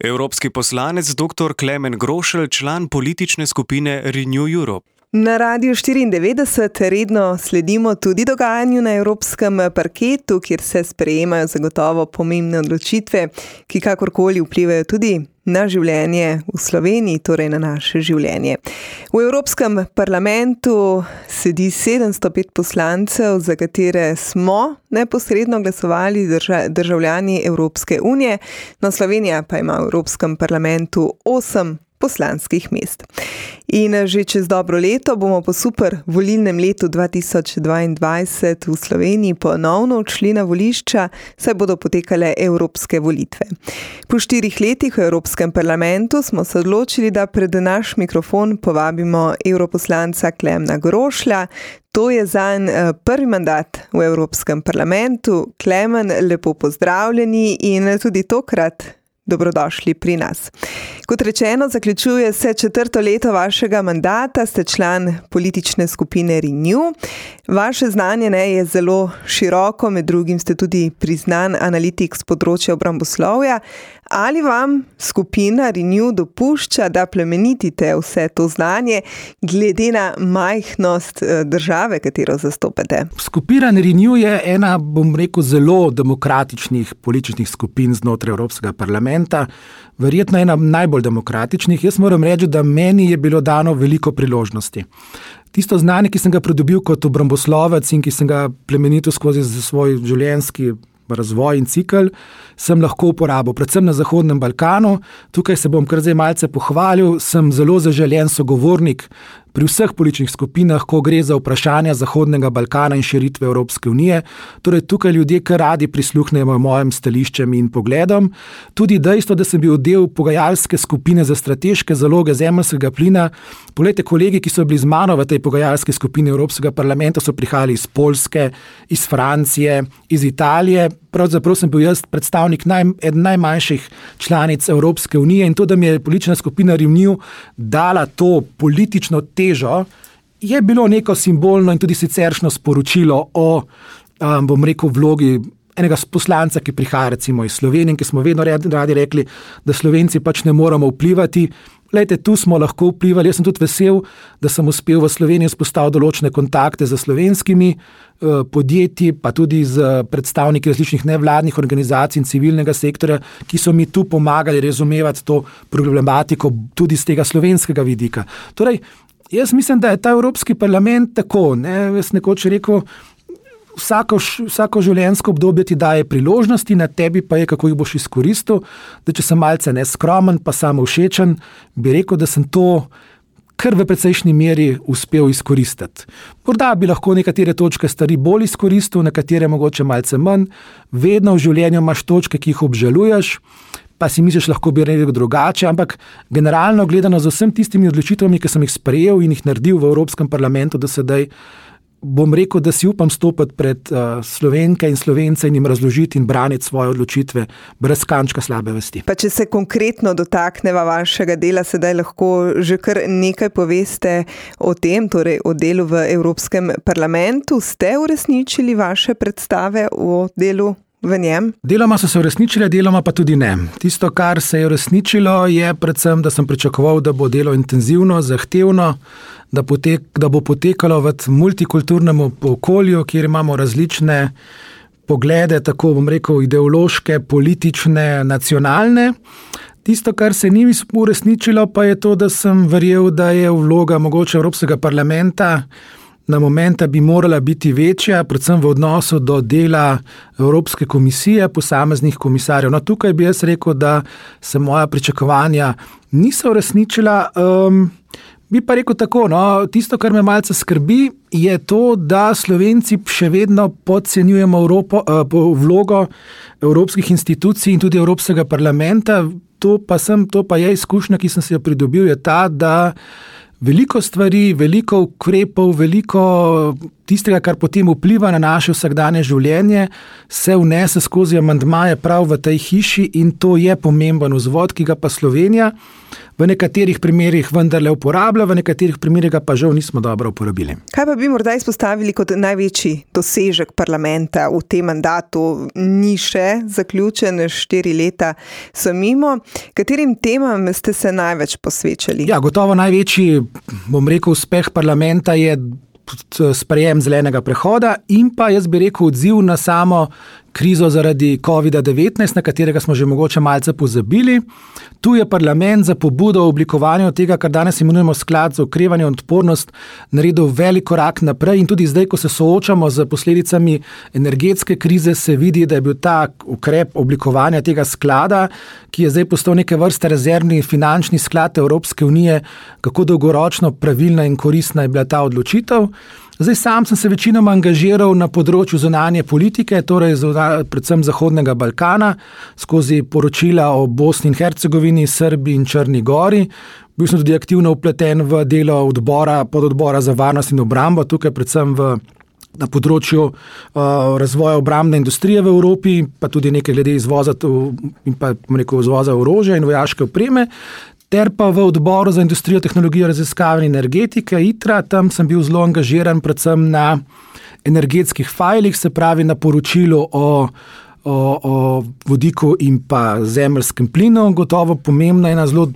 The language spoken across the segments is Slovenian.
Evropski poslanec dr. Klemen Grošelj, član politične skupine Renew Europe. Na Radiu 94 redno sledimo tudi dogajanju na evropskem parketu, kjer se sprejemajo zagotovo pomembne odločitve, ki kakorkoli vplivajo tudi na življenje v Sloveniji, torej na naše življenje. V Evropskem parlamentu sedi 705 poslancev, za katere smo neposredno glasovali državljani Evropske unije, no Slovenija pa ima v Evropskem parlamentu 8 poslanskih mest. In že čez dobro leto bomo po super volilnem letu 2022 v Sloveniji ponovno odšli na volišča, saj bodo potekale evropske volitve. Po 4 letih v Evropskem parlamentu smo se odločili, da pred naš mikrofon povabimo europoslanca Klemna Grošlja. To je zanj prvi mandat v Evropskem parlamentu. Klemen, lepo pozdravljeni in tudi tokrat dobrodošli pri nas. Kot rečeno, zaključuje se 4. leto vašega mandata, ste član politične skupine Renew. Vaše znanje je zelo široko, med drugim ste tudi priznan analitik z področja obramboslovja. Ali vam skupina Renew dopušča, da plemenitite vse to znanje, glede na majhnost države, katero zastopate? Skupina Renew je ena, zelo demokratičnih političnih skupin znotraj Evropskega parlamenta. Verjetno ena najbolj demokratičnih. Jaz moram reči, da meni je bilo dano veliko priložnosti. Tisto znanje, ki sem ga pridobil kot obramboslovec in ki sem ga plemenitil skozi svoj življenjski razvoj in cikl, sem lahko uporabil, predvsem na Zahodnem Balkanu. Tukaj se bom kar zdaj malce pohvalil, sem zelo zaželen sogovornik pri vseh političnih skupinah, ko gre za vprašanja Zahodnega Balkana in širitve Evropske unije. Torej tukaj ljudje kar radi prisluhnejo mojim stališčem in pogledom. Tudi dejstvo, da sem bil del pogajalske skupine za strateške zaloge zemeljskega plina. Poglejte, kolegi, ki so bili z mano v tej pogajalski skupini Evropskega parlamenta, so prihajali iz Poljske, iz Francije, iz Italije. Pravzaprav sem bil jaz predstavnik eden najmanjših članic Evropske unije in to, da mi je politična skupina Renew dala to politično težo, je bilo neko simbolno in tudi siceršno sporočilo o, vlogi enega poslanca, ki prihaja recimo iz Slovenije, ki smo vedno radi rekli, da Slovenci pač ne moramo vplivati. Glejte, tu smo lahko vplivali. Jaz sem tudi vesel, da sem uspel v Sloveniji vzpostaviti določene kontakte z slovenskimi podjetji, pa tudi z predstavniki različnih nevladnih organizacij in civilnega sektorja, ki so mi tu pomagali razumevati to problematiko tudi z tega slovenskega vidika. Torej, jaz mislim, da je ta Evropski parlament tako, jaz nekoč rekel, vsako življenjsko obdobje ti daje priložnosti, na tebi pa je, kako jih boš izkoristil. Da če sem malce neskromen, pa samovšečen, bi rekel, da sem to kar v precejšnji meri uspel izkoristiti. Morda bi lahko nekatere točke stvari bolj izkoristil, nekatere mogoče malce manj. Vedno v življenju imaš točke, ki jih obžaluješ, pa si misliš, lahko bi rekel drugače, ampak generalno gledano z vsem tistimi odločitvami, ki sem jih sprejel in jih naredil v Evropskem parlamentu do sedaj, bom rekel, da si upam stopiti pred Slovenke in Slovence in jim razložiti in braniti svoje odločitve brez kančka slabe vesti. Pa če se konkretno dotakneva vašega dela, sedaj lahko že kar nekaj poveste o tem, torej o delu v Evropskem parlamentu. Ste uresničili vaše predstave o delu v njem? Deloma so se uresničile, deloma pa tudi ne. Tisto, kar se je uresničilo, je predvsem, da sem pričakoval, da bo delo intenzivno, zahtevno, da bo potekalo v multikulturnem okolju, kjer imamo različne poglede, tako ideološke, politične, nacionalne. Tisto, kar se ni uresničilo, pa je to, da sem verjel, da je vloga mogoče Evropskega parlamenta na momenta bi morala biti večja, predvsem v odnosu do dela Evropske komisije, posameznih komisarjev. No, tukaj bi jaz rekel, da se moja pričakovanja niso uresničila. Bi pa rekel tako, tisto, kar me malce skrbi, je to, da Slovenci še vedno podcenjujemo vlogo evropskih institucij in tudi Evropskega parlamenta. To pa je izkušnja, ki sem si jo pridobil, je ta, da veliko stvari, veliko ukrepov, veliko tistega, kar potem vpliva na naše vsakdanje življenje, se vnese skozi amandmaje prav v tej hiši in to je pomemben vzvod, ki ga pa Slovenija v nekaterih primerih vendarle uporablja, v nekaterih primerih ga pa žal nismo dobro uporabili. Kaj pa bi morda izpostavili kot največji dosežek parlamenta v tem mandatu? Ni še zaključen, 4 leta so mimo. Katerim temam ste se največ posvečali? Ja, gotovo največji, uspeh parlamenta je sprejem zelenega prehoda in pa, jaz bi rekel, odziv na samo krizo zaradi COVID-19, na katerega smo že mogoče malce pozabili. Tu je parlament za pobudo o oblikovanju tega, kar danes imenujemo sklad za okrevanje in odpornost, naredil velik korak naprej in tudi zdaj, ko se soočamo z posledicami energetske krize, se vidi, da je bil ta ukrep oblikovanja tega sklada, ki je zdaj postal neke vrste rezervni finančni sklad Evropske unije, kako dolgoročno pravilna in koristna je bila ta odločitev. Zdaj sam sem se večinoma angažiral na področju zunanje politike, torej predvsem Zahodnega Balkana, skozi poročila o Bosni in Hercegovini, Srbiji in Črni gori. Bil sem tudi aktivno vpleten v delo pododbora za varnost in obrambo, tukaj predvsem na področju razvoja obrambne industrije v Evropi, pa tudi nekaj glede izvoza in pa izvoza orožja in vojaške opreme. Ter pa v odboru za industrijo, tehnologijo, raziskave in energetike, ITRA, tam sem bil zelo angažiran predvsem na energetskih fajlih, se pravi na poročilu o vodiku in pa zemeljskem plinu. Gotovo pomembna ena zelo,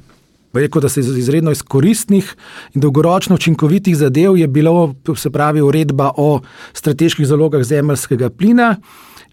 rekel, da se izredno iz koristnih in dolgoročno učinkovitih zadev je bilo, se pravi, uredba o strateških zalogah zemeljskega plina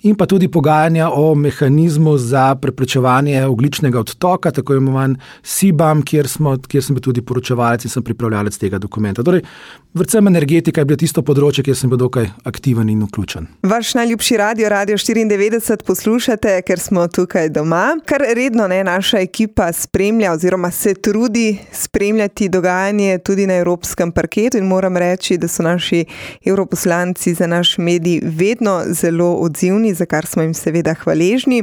in pa tudi pogajanja o mehanizmu za preprečevanje ogljičnega odtoka, tako imenovan CBAM, kjer sem bil tudi poročevalec in sem pripravljalec tega dokumenta. Torej, predvsem energetika je bilo tisto področje, kjer sem bil dokaj aktiven in vključen. Vaš najljubši Radio 94 poslušate, ker smo tukaj doma. Kar redno naša ekipa spremlja oziroma se trudi spremljati dogajanje tudi na evropskem parketu in moram reči, da so naši evroposlanci za naš medij vedno zelo odzivni, za kar smo jim seveda hvaležni.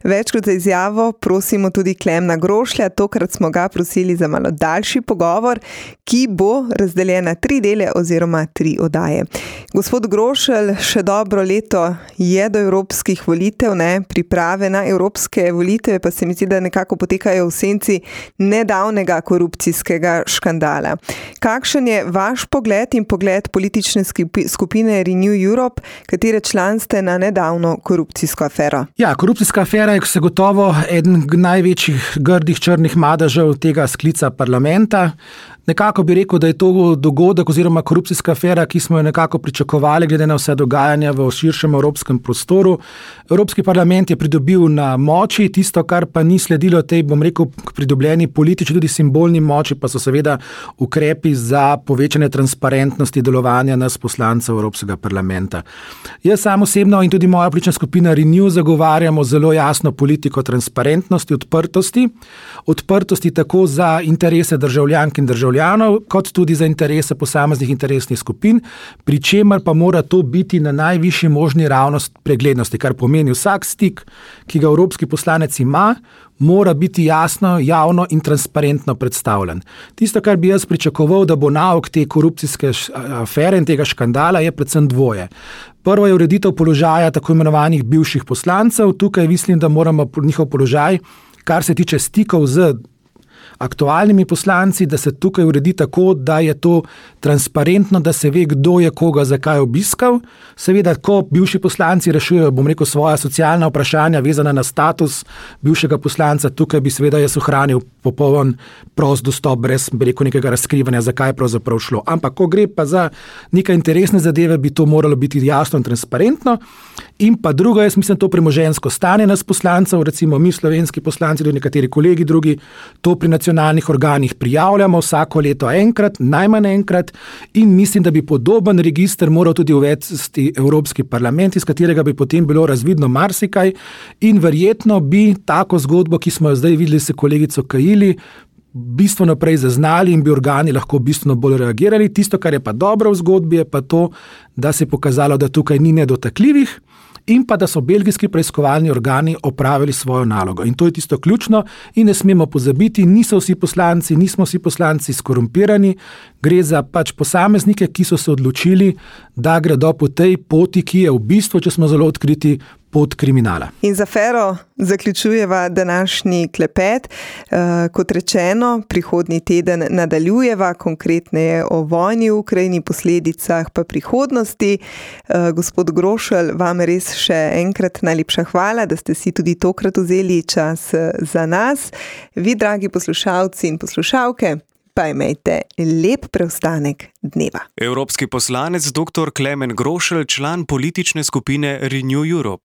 Večkrat za izjavo prosimo tudi Klemna Grošlja, tokrat smo ga prosili za malo daljši pogovor, ki bo razdeljen na 3 dele oziroma 3 oddaje. Gospod Grošelj, še dobro leto je do evropskih volitev, priprave na evropske volitve pa se mi zdi, da nekako potekajo v senci nedavnega korupcijskega škandala. Kakšen je vaš pogled in pogled politične skupine Renew Europe, katere član ste na nedavno korupcijsko afero? Ja, korupcijska afera je zagotovo eden največjih grdih črnih madežev tega sklica parlamenta. Nekako bi rekel, da je to dogodek oziroma korupcijska afera, ki smo jo nekako pričakovali glede na vse dogajanja v širšem evropskem prostoru. Evropski parlament je pridobil na moči, tisto, kar pa ni sledilo tej, pridobljeni politični, tudi simbolni moči, pa so seveda ukrepi za povečanje transparentnosti delovanja nas poslancev Evropskega parlamenta. Jaz sam osebno in tudi moja politična skupina Renew zagovarjamo zelo jasno politiko transparentnosti, odprtosti tako za interese državljank in državljanov, kot tudi za interese posameznih interesnih skupin, pri čemer pa mora to biti na najvišji možni ravnost preglednosti, kar pomeni vsak stik, ki ga evropski poslanec ima, mora biti jasno, javno in transparentno predstavljen. Tisto, kar bi jaz pričakoval, da bo nauk te korupcijske afere in tega škandala, je predvsem dvoje. Prvo je ureditev položaja tako imenovanih bivših poslancev. Tukaj mislim, da moramo njihov položaj, kar se tiče stikov z aktualnimi poslanci, da se tukaj uredi tako, da je to transparentno, da se ve, kdo je koga zakaj obiskal. Seveda, ko bivši poslanci rešujejo, svoja socialna vprašanja vezana na status bivšega poslanca, tukaj bi seveda jaz ohranil popoln prost dostop, brez nekega razkrivanja, zakaj je pravzaprav šlo. Ampak, ko gre pa za neke interesne zadeve, bi to moralo biti jasno in transparentno. In pa drugo, jaz mislim, to premoženjsko stanje nas poslancev, recimo mi slovenski poslanci, tudi nekateri kolegi drugi, to pri nacionalnih organih prijavljamo vsako leto enkrat, najmanj enkrat, in mislim, da bi podoben register moral tudi uvesti Evropski parlament, iz katerega bi potem bilo razvidno marsikaj in verjetno bi tako zgodbo, ki smo jo zdaj videli s kolegico Kajili, bistveno prej zaznali in bi organi lahko bistveno bolj reagirali. Tisto, kar je pa dobro v zgodbi, je pa to, da se je pokazalo, da tukaj ni nedotakljivih in pa da so belgijski preiskovalni organi opravili svojo nalogo. In to je tisto ključno in ne smemo pozabiti, nismo vsi poslanci skorumpirani, gre za posameznike, ki so se odločili, da gredo po tej poti, ki je v bistvu, če smo zelo odkriti, pot kriminala. In za afero zaključujeva današnji klepet. Kot rečeno, prihodnji teden nadaljujeva, konkretneje o vojni v Ukrajini, posledicah pa prihodnosti. Gospod Grošelj, vam res še enkrat najlepša hvala, da ste si tudi tokrat vzeli čas za nas. Vi, dragi poslušalci in poslušalke, pa imejte lep preostanek dneva. Evropski poslanec dr. Klemen Grošelj, član politične skupine Renew Europe.